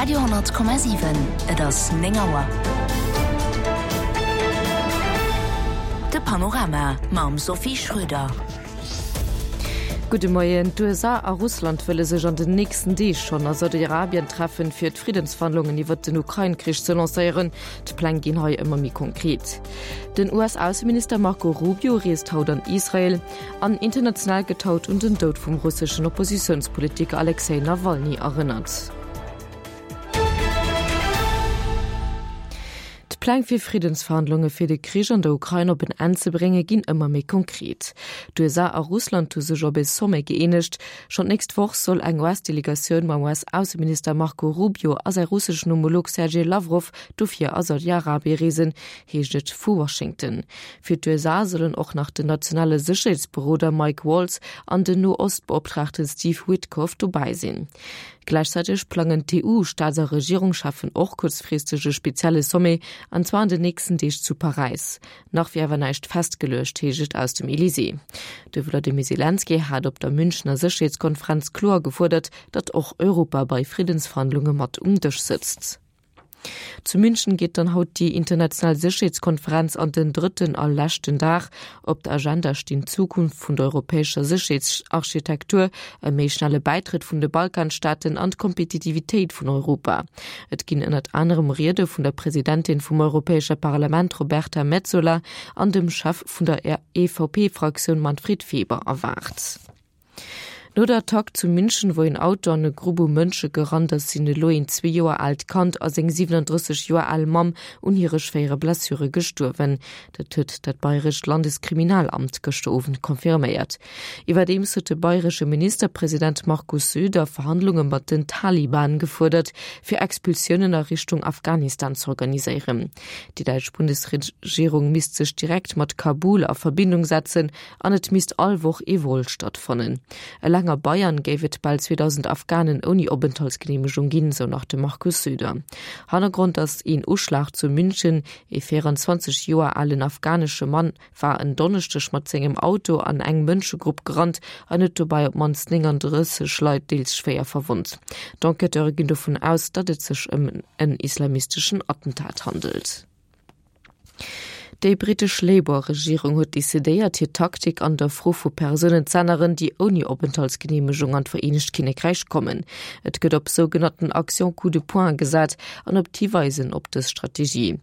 Radio,7 Et ass 9 Auer. De Panorama mam Sophie Schröder. Gudde Moien. D'USA a Russland wëlle sech an den nächsten Deeg schonn a Saudi-Arabien treffen, fir d'Friddensverhandlungen iwwert den Ukrain-Krich ze lancéieren. D'Pläng ginn hei ëmmer méi konkret. Den US-Ausseminister Marco Rubio reest haut an Israel. An international gëtt haut un den Doud vum russeschen Oppositiounspolitiker Alexej Nawalny erënnert. D'Pläng fir Friddensverhandlunge fir de Krich an der Ukrain op en Enn ze brénge ginn ëmmer méi konkret. D'USA a Russland hu sech op e Sommet gëeenegt. Schonn d'nächst Woch soll eng US-Delegatioun mam US-Ausseminister Marco Rubio a säi russeschen Homolog Sergej Lawrow dofir a Saudi-Arabie reesen, heescht et vu Washington. Fir d'USA sollen och nach den nationale Sécherheetsberoder Mike Waltz an den No-Ost-Beoptraagte Steve Witkoff dobäi sinn. Gläichzäiteg plangen d'EU-Staats a Regierungscheffen och kuerzfristeg e spezielle Sommet, an zwar an den nächsten Deeg zu Paräis. Nach wier awer näischt festgeluecht, heescht et aus dem Elysée. De Wladimir Selenskyj hat op der Münchener Sécherheetskonferenz kloer gefuerdert, datt och Europa bei Friddensverhandlunge mat um Dësch sëtzt. Zu München geet dann haut déi international Sécherheetskonferenz an den drëtten a leschten Dag. Op der Agenda stinn d'Zukunft vun der europäescher Sécherheetsarchitektur, e méi schnelle Bäitrëtt vun de Balkanstaaten an d'Kompetitivitéit vun Europa. Et ginn ënnert anerem Riede vun der Presidentin vum Europäesche Parlament Roberta Metsola an dem Chef vun der EVP-Fraktioun Manfred Weber erwaart. No der Attack zu München, wou een Auto an e Grupp u Mënsche gerannt ass, sinn elo een zwee Joer aalt Kand a seng 37 Joer al Mamm un hire schwéiere Blessure gestuerwen. Dat huet dat bayrescht Landeskriminalamt gëschter Owend confirméiert. Iwwerdeems huet de bayresche Ministerpresident Markus Söder Verhandlunge mat den Taliban gefuerdert, fir Expulsiounen a Richtung Afghanistan z'organiséieren. Déi däitsch Bundesregierung misst sech direkt mat Kabul a Verbindung setzen an et misst all Woch ee Vol stattfannen. Eleng a Bayern géif et bal 2.000 Afghanen ouni Openthaltsgeneemegung ginn, sou nach de Markus Söder. Hannergrond ass een Uschlag zu München. Ee 24 Joer alen afghanesche Mann war en Donneschdeg mat sengem Auto an eng Mënschegrupp gerannt an huet dobäi op d'mannst 39 Leit deels schwéier verwonnt. D'Enquêteure ginn dovun aus, datt et sech ëm en islamisteschen Attentat handelt. Déi brittesch Labour-Regierung huet decidéiert, hir Taktik an der Fro vu Persounen z'änneren, déi ouni Openthaltsgeneemegung an d'Vereenegt Kinnekräich kommen. Et gëtt op sougenannten Actions coup de poing gesat an op d'Hiweisen op dës Strategie.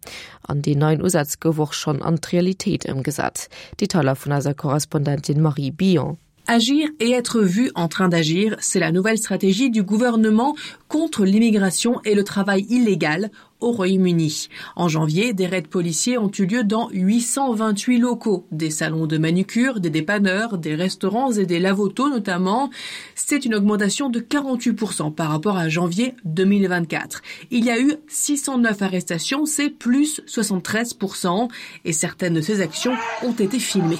An deen neien Usaz gouf och schonn an d'Realitéit ëmgesat. Detailer vun eiser Korrespondentin Marie Billon. Agir et être vu en train d'agir, c'est la nouvelle stratégie du gouvernement contre l'immigration et le travail illégal au Royaume-Uni. En janvier, des raids policiers ont eu lieu dans 828 locaux, des salons de manucure, des dépanneurs, des restaurants et des lavotos notamment. C'est une augmentation de 48% par rapport à janvier 2024. Il y a eu 609 arrestations, c'est plus 73% et certaines de ces actions ont été filmées.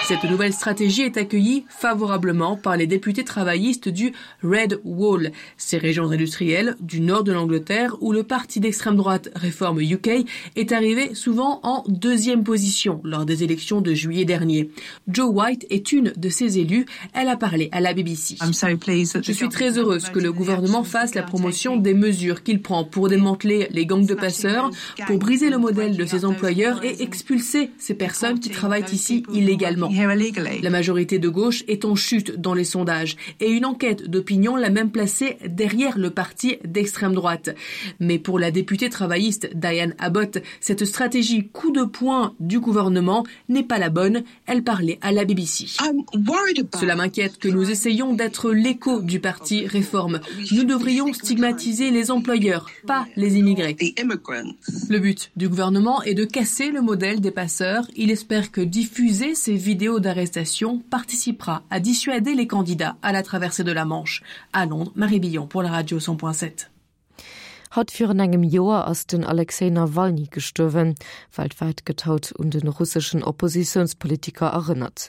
Cette nouvelle stratégie est accueillie favorablement par les députés travaillistes du Red Wall, ces régions industrielles du nord de l'Angleterre où le parti d'extrême droite Reform UK est arrivé souvent en deuxième position lors des élections de juillet dernier. Joe White est une de ces élus, elle a parlé à la BBC. Je suis très heureuse que le gouvernement fasse la promotion des mesures qu'il prend pour démanteler les gangs de passeurs, pour briser le modèle de ses employeurs et expulser ces personnes qui travaillent ici illégalement. La majorité de gauche est en chute dans les sondages et une enquête d'opinion l'a même placée derrière le parti d'extrême droite. Mais pour la députée travailliste Diane Abbott, cette stratégie coup de poing du gouvernement n'est pas la bonne. Elle parlait à la BBC. Cela m'inquiète que nous essayions d'être l'écho du parti Réforme. Nous devrions stigmatiser les employeurs, pas les immigrés. Le but du gouvernement est de casser le modèle des passeurs. Il espère que diffuser ces vidéos d'arrestation participera à dissuader les candidats à la traversée de la Manche. À Londres, Marie Billon pour la radio 100.7. Haut virun engem Joer ass den Alexej Nawalny gestuerwen. Weltwäit gëtt haut un de russeschen Oppositiounspolitiker erënnert.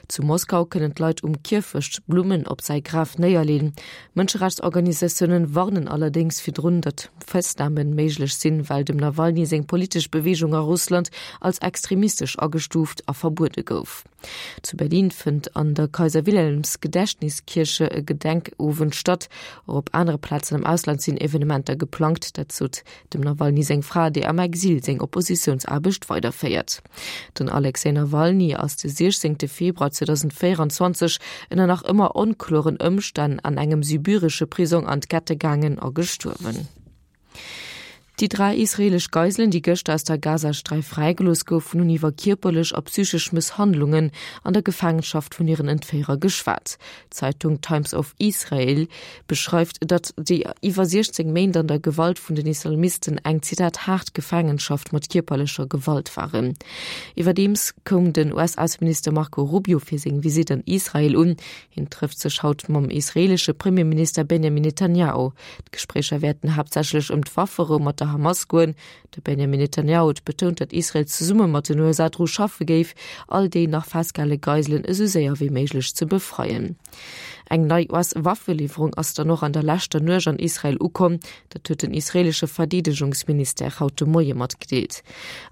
Zu Moskau kënnen d'Leit um Kierfecht Blummen op säi Graf néierleen. Mënscherechtsorganisatiounen warnen allerdéngs virdrun, datt Festname méiglech sinn, well dem Nawalny seng politesch Beweegung a Russland als extremistesch agestuuft a verbuede gouf. Zu Berlin fënnt an der Kaiser-Wilhelms-Gedächtniskirche e Gedenkowend statt. Och op anere Plazen am Ausland sinn Evenementer geplangt. Dat sot dem Nawalny seng Fra, déi am Exil seng Oppositiounsaarbecht weiderféiert. Den Alexej Nawalny ass de 16 Februar 2024 ënner nach ëmmer onkloren Ëmstänn an engem sibiresche Prisong an d'Kette gaangen a gestuerwen. Déi 3 israeelesch Geiselen, déi gëschter aus der Gazasträif fräigelooss goufen, hunn iwwer kierperlech a psychesch Mësshandlungen an der Gefaangenschaft vun hiren Entféierer geschwat. D'Zeitung Times of Israel beschreift, datt déi iwwer 16 Méint an der Gewalt vun den Islamisten eng, Zitat, haart Gefaangenschaft mat kierperlecher Gewalt waren. Iwwerdeems koum den US-Ausseminister Marco Rubio fir seng Visitt an Israel un. Hien trëfft sech haut mam israeelesche Premierminister Benjamin Netanjahu. D'Gespréicher wäerten haaptsächlech ëm d'Wafferou mat der Hamas goen. De Benjamin Netanjahu huet betount, datt Israel zesumme mat den USA dru schaffe géif, all déi nach festgehale Geiselen esou séier wéi méiglech ze befreien. Eng nei US-Waffeliwwerung ass dann och an der leschter Nuecht an Israel ukomm. Dat huet den israeelesche Verdeedegungsministère haut de Moie matgedeelt.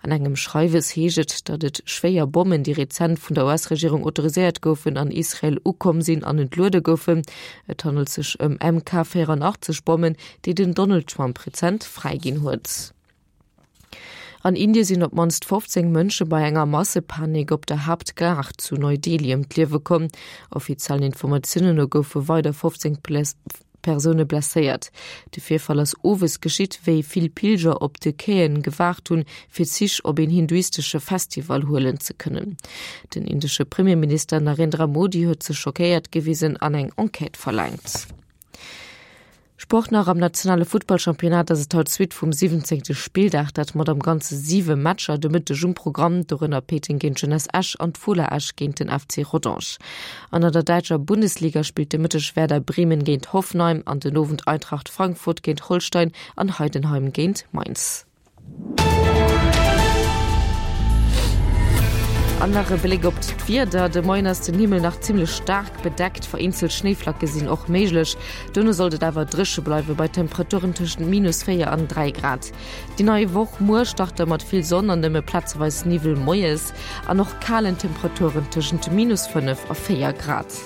An engem Schreiwes heescht et, datt et schwéier Bommen, déi rezent vun der US-Regierung autoriséiert goufen, an Israel ukomm sinn an entluede goufen. Et handelt sech ëm MK 84 Bommen, déi den Donald Trump rezent fräiginn huet. An Indie sinn op d'mannst 15 Mënsche bei enger Massepanik op der Haaptgare zu Neu-Delhi ëm d'Liewe komm. Offiziellen Informatiounen no goufe weider 15 Persoune blesséiert. De Virfall ass owes geschitt, wéi vill Pilger op de Quaien gewaart hunn, fir Zich op een hinduistesche Festival huelen ze kënnen. Den indesche Premierminister Narendra Modi huet sech schockéiert gewisen an eng Enquête verlaangt. Sport nach, Am nationale Futtballchampionnat ass et haut d'Suite vum 17. Spilldag, dat mat am Ganze 7 Matcher de Mëtteg um Programm, dorënner Péiteng géint d'Jeunesse Esch an d'Fola Esch géint den FC Rodange. An an der däitscher Bundesliga spillt de Mëtteg Werder Bremen géint Hoffenheim an den Owend Eintracht Frankfurt géint Holstein an Heidenheim géint Mainz. An nach e Bléck op d'Wieder, De Moien ass den Himmel nach zimmlech staark bedeckt, vereenzelt Schnéiflacke sinn och méiglech. Duerno sollt et awer dréche bleiwe bei Temperaturen tëschent minus 4 an 3 Grad. Déi nei Woch muer start da mat vill Sonn an nëmme plazeweis Niwwel moies an och kalen Temperaturen tëschent minus 5 a 4 Grad.